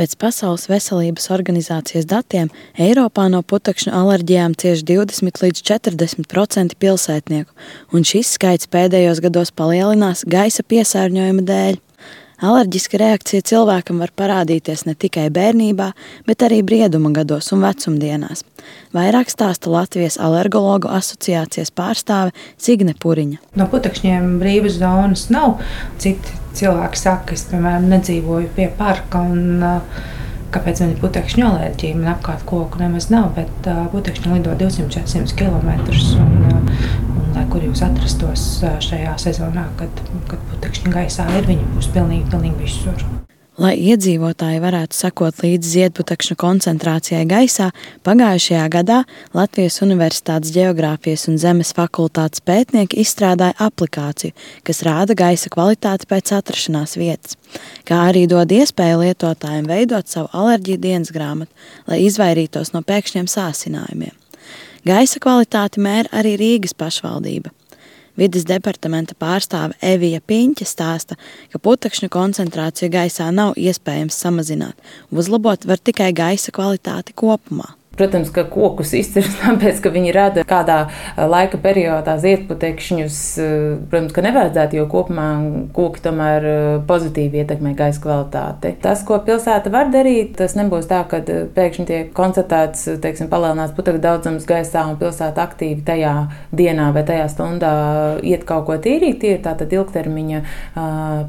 Pēc Pasaules veselības organizācijas datiem Eiropā no putekšņu alerģijām cieš 20 līdz 40% pilsētnieku, un šis skaits pēdējos gados palielinās gaisa piesārņojuma dēļ. Alerģiska reakcija cilvēkam var parādīties ne tikai bērnībā, bet arī brieduma gados un vecumdienās. Vairāk stāsta Latvijas alergologu asociācijas pārstāve Signe Puriņa. No putekšņiem brīvas zonas nav. Citi cilvēki saka, ka es, piemēram, nedzīvoju pie parka un kāpēc man ir putekšņu alerģija? Man apkārt koku nemaz nav, bet putekšņi lido 200-400 km. Lai kur jūs atrastos šajā sezonā, kad putekšņi gaisā ir, viņi būs pilnīgi visur. Lai iedzīvotāji varētu sekot līdz ziedputekšņu koncentrācijai gaisā, pagājušajā gadā Latvijas Universitātes Ģeogrāfijas un Zemes fakultātes pētnieki izstrādāja aplikāciju, kas rāda gaisa kvalitāti pēc atrašanās vietas, kā arī dod iespēju lietotājiem veidot savu alerģiju dienasgrāmatu, lai izvairītos no pēkšņiem sāsinājumiem. Gaisa kvalitāti mēra arī Rīgas pašvaldība. Vides departamenta pārstāve Evija Piņķe stāsta, ka putekšņu koncentrāciju gaisā nav iespējams samazināt. Uzlabot var tikai gaisa kvalitāti kopumā. Protams, ka kokus izcirst tāpēc, ka viņi rada kādā laika periodā ziedputekšņus. Protams, ka nevajadzētu, jo kopumā koki tomēr pozitīvi ietekmē gaisa kvalitāti. Tas, ko pilsēta var darīt, tas nebūs tā, ka pēkšņi tiek konstatēts, palielinās putekļu daudzums gaisā un pilsēta aktīvi tajā dienā vai tajā stundā iet kaut ko tīrīt. Tie ir tātad ilgtermiņa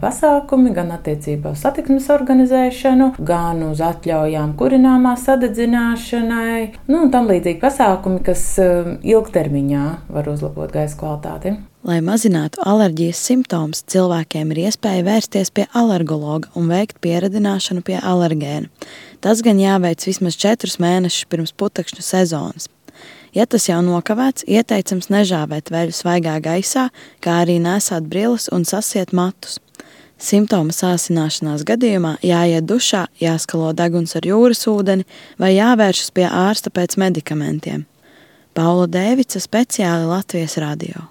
pasākumi gan attiecībā uz satiksmes organizēšanu, gan uz atļaujām kurināmā sadedzināšanai. Un tam līdzīgi pasākumi, kas ilgtermiņā var uzlabot gaisa kvalitāti. Lai mazinātu alerģijas simptomus, cilvēkiem ir iespēja vērsties pie alergologa un veikt pieradināšanu pie alergēna. Tas gan jāveic vismaz 4 mēnešus pirms putekšņu sezonas. Ja tas jau nokavēts, ieteicams nežāvēt veļu svaigā gaisā, kā arī nesāt brilles un sasiet matus. Simptomu sāsināšanās gadījumā jāiet dušā, jāskalo deguns ar jūras ūdeni vai jāvēršas pie ārsta pēc medikamentiem. Paula Dēvica, speciāli Latvijas radio.